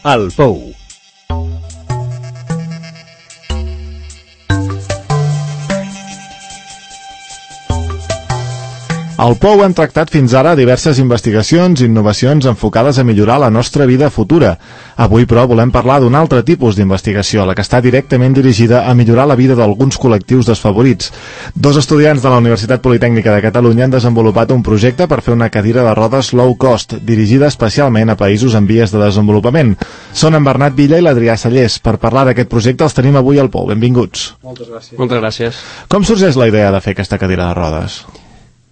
El Pou. Al Pou hem tractat fins ara diverses investigacions i innovacions enfocades a millorar la nostra vida futura. Avui, però, volem parlar d'un altre tipus d'investigació, la que està directament dirigida a millorar la vida d'alguns col·lectius desfavorits. Dos estudiants de la Universitat Politècnica de Catalunya han desenvolupat un projecte per fer una cadira de rodes low cost, dirigida especialment a països en vies de desenvolupament. Són en Bernat Villa i l'Adrià Sallés. Per parlar d'aquest projecte els tenim avui al Pou. Benvinguts. Moltes gràcies. Moltes gràcies. Com sorgeix la idea de fer aquesta cadira de rodes?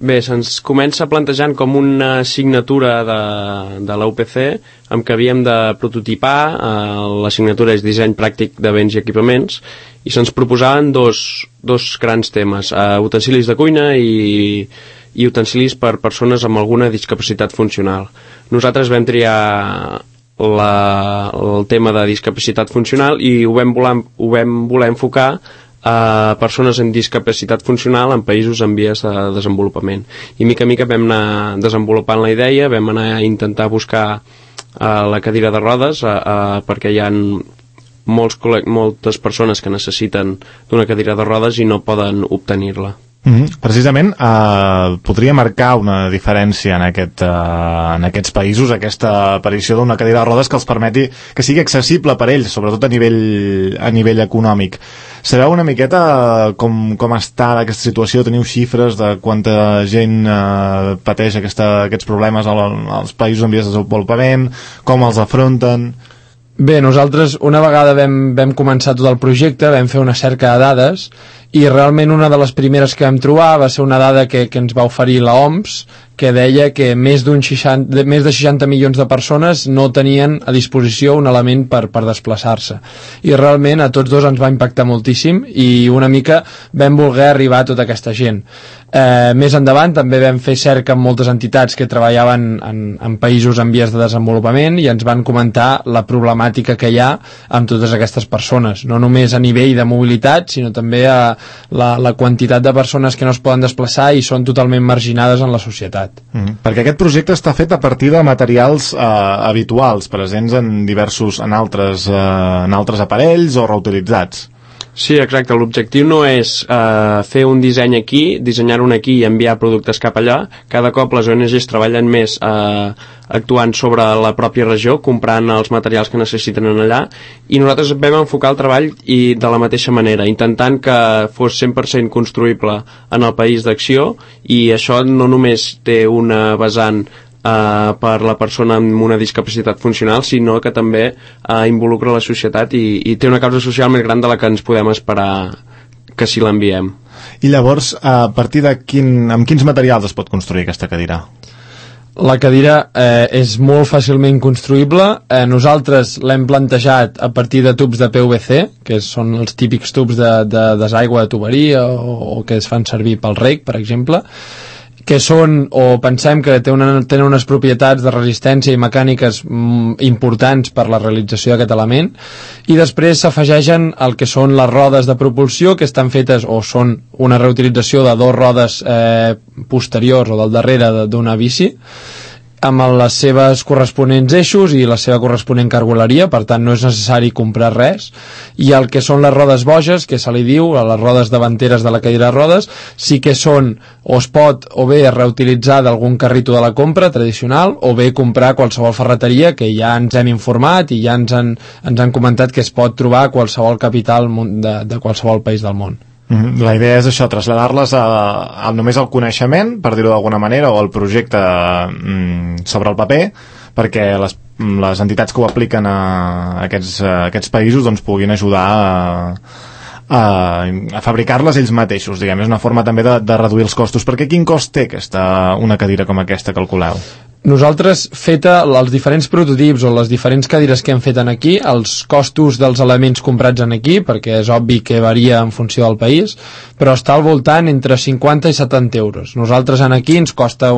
Bé, se'ns comença plantejant com una assignatura de la UPC amb què havíem de prototipar. L'assignatura és disseny pràctic de béns i equipaments i se'ns proposaven dos grans temes, utensilis de cuina i utensilis per persones amb alguna discapacitat funcional. Nosaltres vam triar el tema de discapacitat funcional i ho vam voler enfocar a persones amb discapacitat funcional en països en vies de desenvolupament. I mica a mica vam anar desenvolupant la idea, vam anar a intentar buscar la cadira de rodes perquè hi ha moltes persones que necessiten d'una cadira de rodes i no poden obtenir-la. Precisament podria marcar una diferència en aquests països, aquesta aparició d'una cadira de rodes que els permeti que sigui accessible per ells, sobretot a nivell econòmic. Sabeu una miqueta com està aquesta situació? Teniu xifres de quanta gent pateix aquests problemes als països en vies de desenvolupament? Com els afronten? Bé, nosaltres una vegada vam començar tot el projecte, vam fer una cerca de dades i realment una de les primeres que vam trobar va ser una dada que ens va oferir la OMS, que deia que més de 60 milions de persones no tenien a disposició un element per desplaçar-se. I realment a tots dos ens va impactar moltíssim i una mica vam voler arribar a tota aquesta gent. Més endavant també vam fer cerca amb moltes entitats que treballaven en països en vies de desenvolupament i ens van comentar la problemàtica que hi ha amb totes aquestes persones, no només a nivell de mobilitat, sinó també a la quantitat de persones que no es poden desplaçar i són totalment marginades en la societat. Perquè aquest projecte està fet a partir de materials habituals, presents en altres aparells o reutilitzats. Sí, exacte. L'objectiu no és fer un disseny aquí, dissenyar-ho aquí i enviar productes cap allà. Cada cop les ONGs treballen més actuant sobre la pròpia regió, comprant els materials que necessiten allà, i nosaltres vam enfocar el treball i de la mateixa manera, intentant que fos 100% construïble en el país d'acció, i això no només té una vessant per la persona amb una discapacitat funcional, sinó que també involucra la societat i té una causa social més gran de la que ens podem esperar que si l'enviem. I llavors, a partir amb quins materials es pot construir aquesta cadira? La cadira és molt fàcilment construïble. Nosaltres l'hem plantejat a partir de tubs de PVC, que són els típics tubs de desaigua de tuberia o que es fan servir pel reg, per exemple, que són, o pensem que tenen unes propietats de resistència i mecàniques importants per la realització d'aquest element, i després s'afegeixen el que són les rodes de propulsió, que estan fetes o són una reutilització de dos rodes posteriors o del darrere d'una bici, amb les seves corresponents eixos i la seva corresponent cargoleria, per tant no és necessari comprar res, i el que són les rodes boges, que se li diu, a les rodes davanteres de la cadira de rodes, sí que són, o es pot o bé reutilitzar d'algun carrito de la compra tradicional, o bé comprar qualsevol ferreteria, que ja ens hem informat i ja ens han comentat que es pot trobar a qualsevol capital de qualsevol país del món. La idea és això, traslladar-les només al coneixement, per dir-ho d'alguna manera, o al projecte sobre el paper, perquè les entitats que ho apliquen a aquests països doncs puguin ajudar a fabricar-les ells mateixos, diguem. És una forma també de reduir els costos. Perquè quin cost té una cadira com aquesta, calculeu? Nosaltres, feta els diferents prototips o les diferents cadires que hem fet aquí, els costos dels elements comprats aquí, perquè és obvi que varia en funció del país, però està al voltant entre 50 i 70 euros. Nosaltres aquí ens costa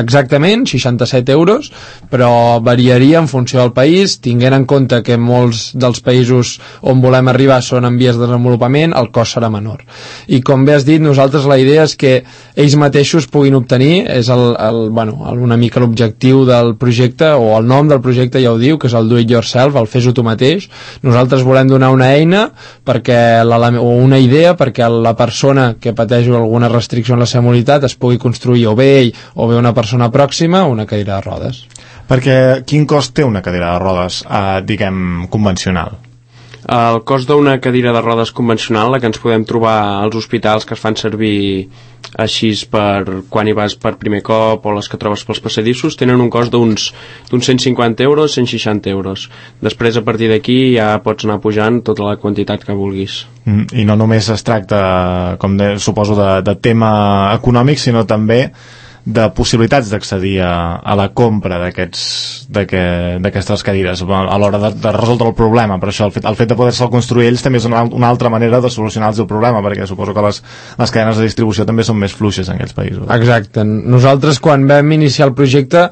exactament 67 euros, però variaria en funció del país, tinguent en compte que molts dels països on volem arribar són en vies de desenvolupament, el cost serà menor. I com bé has dit, nosaltres la idea és que ells mateixos puguin obtenir, és una mica l'objectiu l'objectiu del projecte, o el nom del projecte ja ho diu, que és el do it yourself, el fes-ho tu mateix. Nosaltres volem donar una eina o una idea perquè la persona que pateix alguna restricció en la seva mobilitat es pugui construir o bé ell o bé una persona pròxima una cadira de rodes. Perquè quin cost té una cadira de rodes, diguem, convencional? El cost d'una cadira de rodes convencional, la que ens podem trobar als hospitals que es fan servir així per quan hi vas per primer cop o les que trobes pels passadissos, tenen un cost d'uns 150 euros, 160 euros. Després, a partir d'aquí, ja pots anar pujant tota la quantitat que vulguis. I no només es tracta, suposo, de tema econòmic, sinó també de possibilitats d'accedir a la compra d'aquestes cadires a l'hora de resoldre el problema. Per això el fet de poder-se'l construir ells també és una altra manera de solucionar el problema, perquè suposo que les cadenes de distribució també són més fluixes en aquells països. Exacte. Nosaltres, quan vam iniciar el projecte,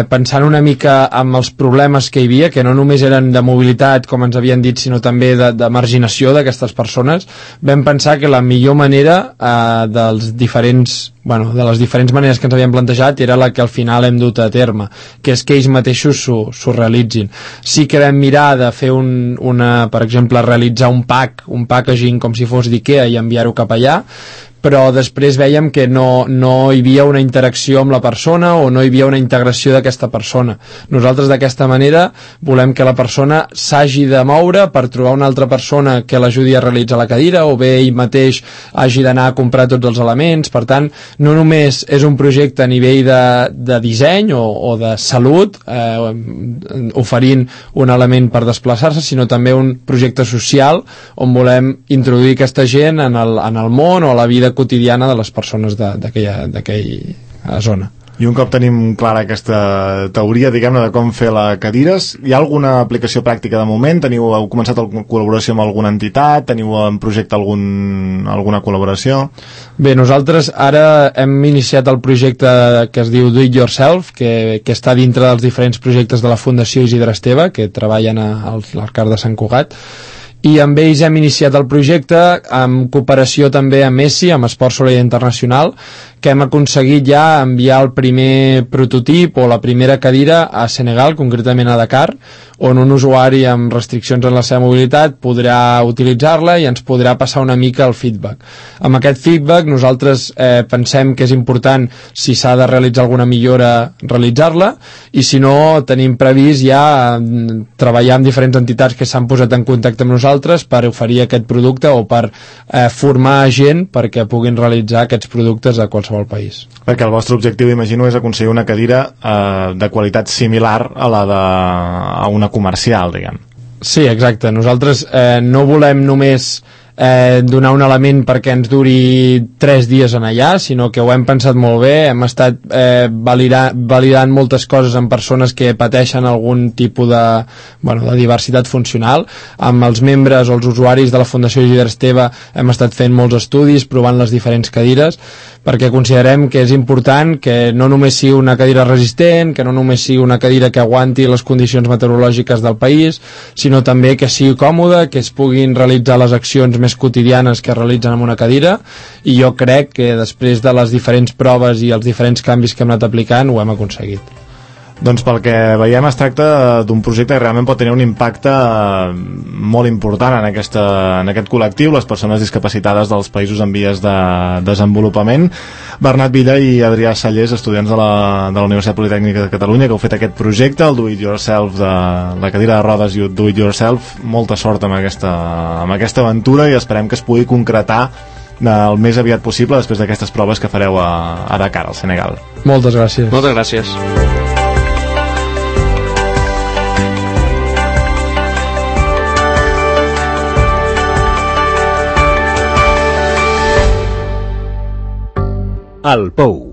pensant una mica amb els problemes que hi havia, que no només eren de mobilitat, com ens havien dit, sinó també de marginació d'aquestes persones, vam pensar que la millor manera de les diferents maneres que ens havíem plantejat era la que al final hem dut a terme, que és que ells mateixos s'ho realitzin. Sí que vam mirar de fer per exemple, realitzar un packaging com si fos d'IKEA i enviar-ho cap allà, però després vèiem que no hi havia una interacció amb la persona o no hi havia una integració d'aquesta persona. Nosaltres d'aquesta manera volem que la persona s'hagi de moure per trobar una altra persona que l'ajudi a realitzar la cadira, o bé ell mateix hagi d'anar a comprar tots els elements. Per tant, no només és un projecte a nivell de disseny o de salut, oferint un element per desplaçar-se, sinó també un projecte social on volem introduir aquesta gent en el món o a la vida quotidiana de les persones d'aquella zona. I un cop tenim clara aquesta teoria, diguem-ne, de com fer les cadires, hi ha alguna aplicació pràctica de moment? Heu començat la col·laboració amb alguna entitat? Teniu en projecte alguna col·laboració? Bé, nosaltres ara hem iniciat el projecte que es diu Do It Yourself, que està dintre dels diferents projectes de la Fundació Isidre Esteve, que treballen a l'Arcar de Sant Cugat, i amb ells hem iniciat el projecte en cooperació també amb Messi, amb Esport Solidari Internacional, que hem aconseguit ja enviar el primer prototip o la primera cadira a Senegal, concretament a Dakar, on un usuari amb restriccions en la seva mobilitat podrà utilitzar-la i ens podrà passar una mica el feedback. Amb aquest feedback nosaltres pensem que és important, si s'ha de realitzar alguna millora, realitzar-la, i si no, tenim previst ja treballar amb diferents entitats que s'han posat en contacte amb nosaltres per oferir aquest producte o per formar gent perquè puguin realitzar aquests productes a qualsevol país. Perquè el vostre objectiu, imagino, és aconseguir una cadira de qualitat similar a la d'una comercial, diguem. Sí, exacte. Nosaltres no volem només donar un element perquè ens duri 3 dies en allà, sinó que ho hem pensat molt bé, hem estat validant moltes coses amb persones que pateixen algun tipus de diversitat funcional. Amb els membres o els usuaris de la Fundació Isidre Esteve hem estat fent molts estudis, provant les diferents cadires, perquè considerem que és important que no només sigui una cadira resistent, que no només sigui una cadira que aguanti les condicions meteorològiques del país, sinó també que sigui còmoda, que es puguin realitzar les accions més quotidianes que es realitzen amb una cadira, i jo crec que després de les diferents proves i els diferents canvis que hem anat aplicant ho hem aconseguit. Doncs pel que veiem es tracta d'un projecte que realment pot tenir un impacte molt important en aquest col·lectiu, les persones discapacitades dels països en vies de desenvolupament. Bernat Villa i Adrià Sallés, estudiants de la Universitat Politècnica de Catalunya, que heu fet aquest projecte, el Do It Yourself, de la cadira de rodes i Do It Yourself. Molta sort amb aquesta aventura i esperem que es pugui concretar el més aviat possible després d'aquestes proves que fareu a Dakar, al Senegal. Moltes gràcies. Moltes gràcies. El Pou.